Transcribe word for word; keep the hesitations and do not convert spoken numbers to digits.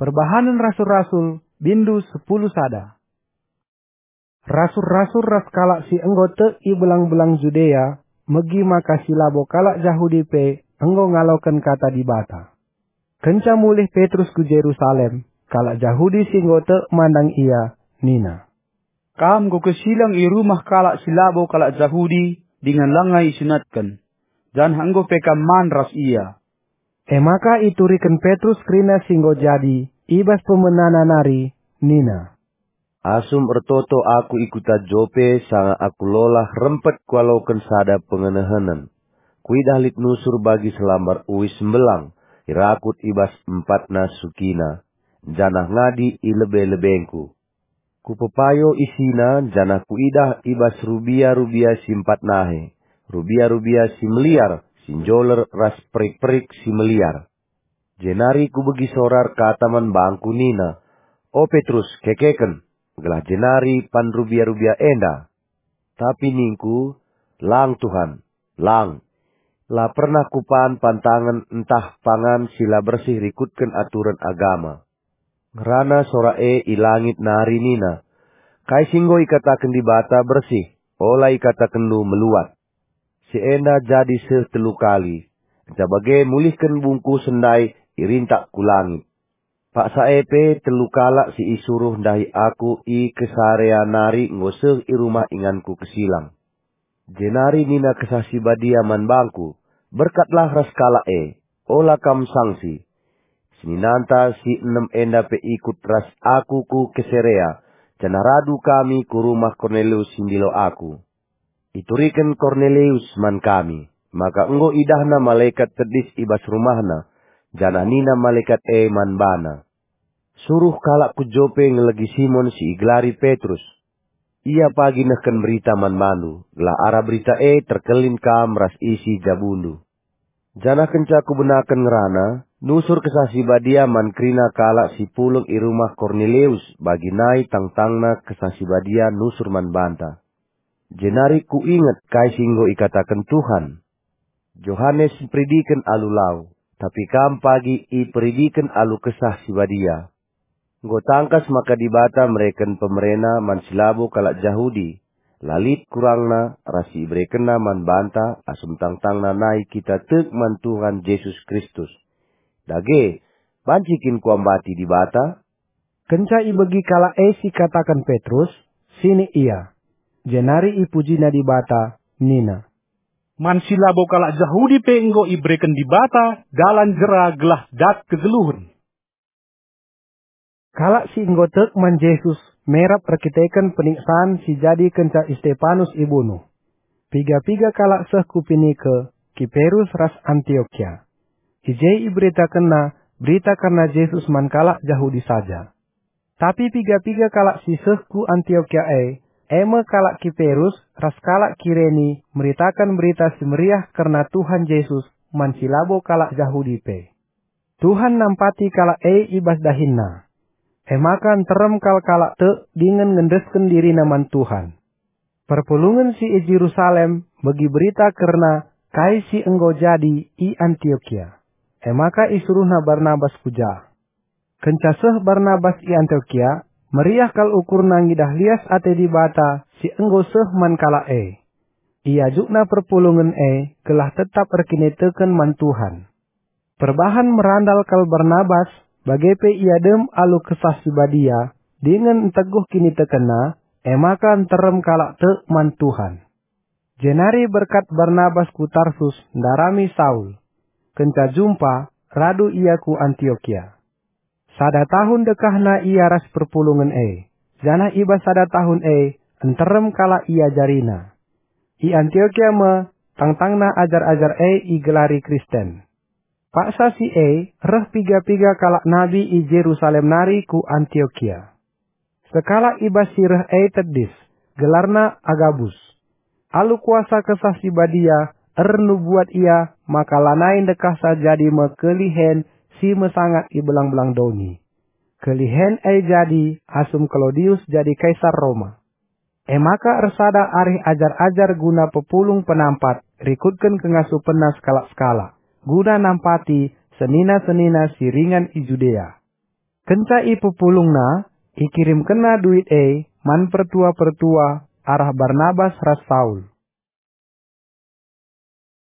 Perbahanen Rasul-rasul, bindu sepuluh sada. Rasul-rasul ras kalak si enggo tek i belang-belang Judea megi maka si labo kalak Jahudi pe enggo ngaloken Kata Dibata. Kenca mulih Petrus ku Jerusalem, kalak Jahudi si enggo tek mandang ia nina, "Kam enggo kesileng i rumah kalak si labo kalak Jahudi dingen langa isunatken, janah enggo pe kam man ras ia." E maka ituriken Petrus kerina si enggo jadi i bas pemenana nari, nina, "Asum ertoto aku i kuta Jope sanga aku lolah rempet kualoken sada pengenehenen. Kuidah lit nusur bagi selambar uis mbelang, irakut i bas empatna sukina, janah ngadi i lebe-lebengku. Kupepayo isina, janah kuidah i bas rubia-rubia si empat nahe, rubia-rubia si meliar, si njoler ras perik-perik si meliar. Jenari kubegi sora erkata man bangku nina, 'O Petrus, kekeken, gelah jenari pan rubia-rubia enda.' Tapi ningku, 'Lang, Tuhan, lang! La pernah kupan pantangen ntah pangan si la bersih rikutken aturen agama.' Ngerana sora e i langit nari nina, 'Kai si enggo ikataken Dibata bersih, ola ikatakenndu meluat.' Si enda jadi seh telu kali, kenca bage mulihken bungkusen ndai irintak ku langit. Paksa e pe telu kalak si isuruh ndahi aku i Kesarea nari enggo seh i rumah inganku kesilang." Jenari nina Kesah Si Badia man bangku, "Berkatlah ras kalak e, ola kam sangsi. Seninanta si enem enda pe ikut ras aku ku Kesarea, janah radu kami ku rumah Kornelius si ndilo aku. Ituriken Kornelius man kami, maka enggo idahna malekat tedis i bas rumahna, janah nina malekat e man bana, 'Suruh kalak ku Jope ngelegi Simon si igelari Petrus. Ia pagi nehken berita man bandu, gelah arah berita e terkelin kam ras isi jabundu.' Janah kenca kubenaken ngerana, nusur Kesah Si Badia man kerina kalak si pulung i rumah Kornelius, bagi nai tangtangna Kesah Si Badia nusur man banta. Jenari kuinget kai si enggo ikataken Tuhan, 'Johanes mperidiken alu lau, tapi kam pagi iperidiken alu Kesah Si Badia.' Enggo tangkas maka Dibata mereken pemereNa man si labo kalak Jahudi, la lit kurangna ras si iberekenNa man banta asum tangtangna nai kita tek man Tuhan Jesus Kristus. Dage, banci kin kuambati Dibata?" Kenca ibegi kalak e si ikataken Petrus, sinik ia. Jenari ipujina Dibata, nina, "Man si labo kalak Jahudi pe enggo ibereken Dibata dalan jera gelah dat kegeluhen." Kalak si enggo tek man Jesus merap erkiteken peniksan si jadi kenca Istepanus ibunuh. Piga-piga kalak seh ku Pinike, Kiperus ras Antiokia. I je iberitakenna berita kerna Jesus man kalak Jahudi saja. Tapi piga-piga kalak si seh ku Antiokia e, e me kalak Kiperus ras kalak Kireni, meritaken Berita Si Meriah kerna Tuhan Jesus man si labo kalak Jahudi pe. Tuhan nampati kalak e i bas dahinna. E maka nterem kal kalak tek dingen ngendesken dirina man Tuhan. Perpulungen si i Jerusalem begi berita kerna kai si enggo jadi i Antiokia. E maka isuruhna Barnabas ku ja. Kenca seh Barnabas i Antiokia, meriah kal ukurna ngidah lias ate Dibata si enggo seh man kalak e. Iajukna perpulungen e gelah tetap erkiniteken man Tuhan. Perbahan merandal kal Barnabas, bage pe ia dem alu Kesah Si Badia, dingen nteguh kinitekenna, e maka nterem kalak tek man Tuhan. Jenari berkat Barnabas ku Tarsus ndarami Saul. Kenca jumpa, radu ia ku Antiokia. Sada tahun dekahna ia ras perpulungen e, janah i bas sada tahun e nterem kalak iajarina. I Antiokia me tangtangna ajar-ajar e igelari Kristen. Paksa si e reh piga-piga kalak nabi i Jerusalem nari ku Antiokia. Sekalak i bas si reh e tedis, gelarna Agabus. Alu kuasa Kesah Si Badia ernubuat ia maka lanai ndekahsa jadi me kelihen si mesangat i belang-belang doni. Kelihen e jadi asum Klaudius jadi kaisar Roma. E maka ersada arih ajar-ajar guna pepulung penampat rikutken kengasupenna sekalak-sekalak, guna nampati senina-senina si ringan i Judea. Kenca ipepulungna, ikirimkenna duit e man pertua-pertua arah Barnabas ras Saul.